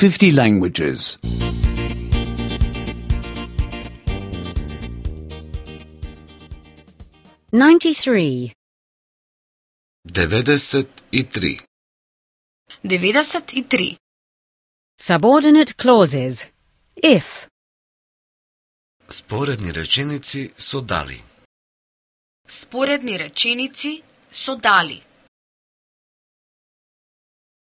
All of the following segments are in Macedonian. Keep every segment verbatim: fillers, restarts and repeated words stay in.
fifty languages. ninety-three. деветдесет и три. деветдесет и три. Subordinate clauses. If. Споредни реченици со дали. Споредни реченици со дали.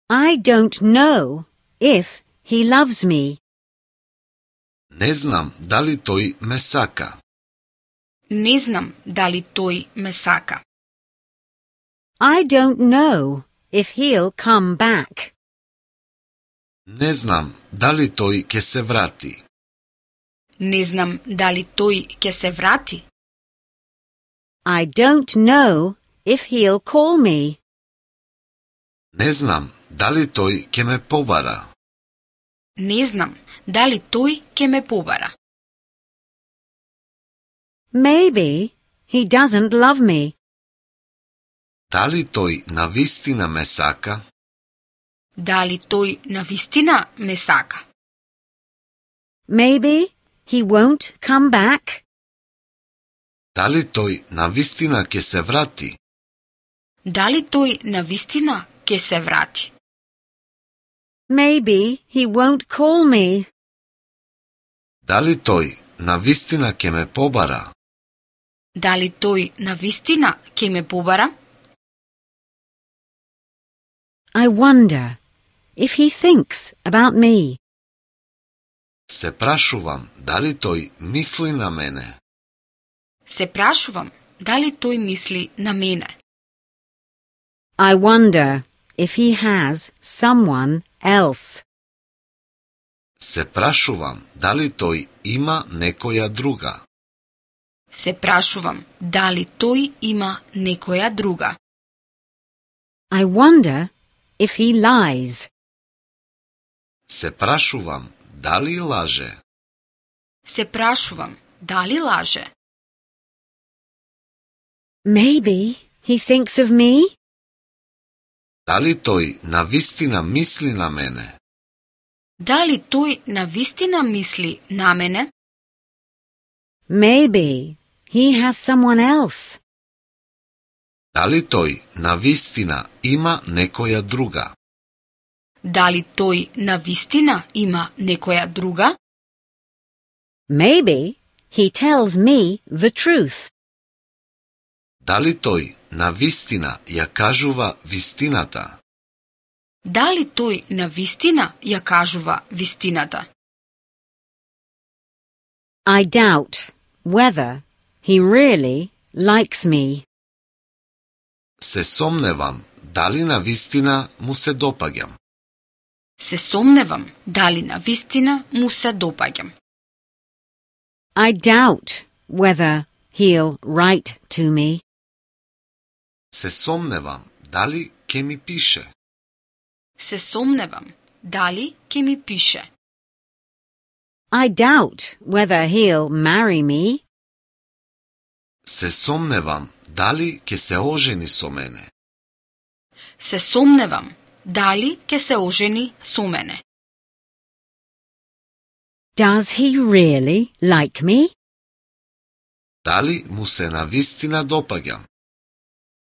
I don't know if he loves me. Не знам дали тој ме сака. Не знам дали тој ме сака. I don't know if he'll come back. Не знам дали тој ќе се врати. Не знам дали тој ќе се врати. I don't know if he'll call me. Не знам дали тој ќе ме побара. Не знам дали тој ќе ме побара. Maybe he doesn't love me. Дали тој навистина ме сака? Дали тој навистина ме сака? Maybe he won't come back. Дали тој навистина ќе се врати? Дали тој навистина ќе се врати? Maybe he won't call me. Дали тој навистина ќе ме побара? Дали тој навистина ќе ме побара? I wonder if he thinks about me. Се прашувам дали тој мисли на мене. Се прашувам дали тој мисли на мене. I wonder if he has someone else. Се прашувам дали тој има некоја друга. Се прашувам дали тој има некоја друга. I wonder if he lies. Се прашувам дали лаже. Се прашувам дали лаже. Maybe he thinks of me. Дали тој навистина мисли на мене? Дали тој навистина мисли на мене? Maybe he has someone else. Дали тој навистина има некоја друга? Дали тој навистина има некоја друга? Maybe he tells me the truth. Дали тој навистина ја кажува вистината? Дали тој навистина ја кажува вистината? I doubt whether he really likes me. Се сомневам дали навистина му се допаѓам. Се сомневам дали навистина му се допаѓам. I doubt whether he'll write to me. Се сомневам дали ќе ми пише. Се сомневам дали ќе ми пише. I doubt whether he'll marry me. Се сомневам дали ќе се ожени со мене. Се сомневам дали ќе се ожени со мене. Does he really like me? Дали му се навистина допаѓам?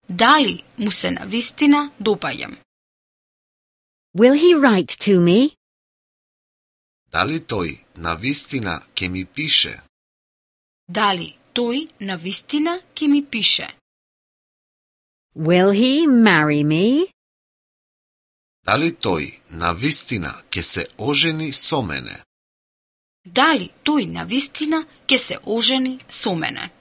Дали му се навистина допаѓам? Will he write to me? Дали тој навистина ќе ми пише? Дали тој навистина ќе ми пише? Will he marry me? Дали тој навистина ќе се ожени со мене? Дали тој навистина ќе се ожени со мене?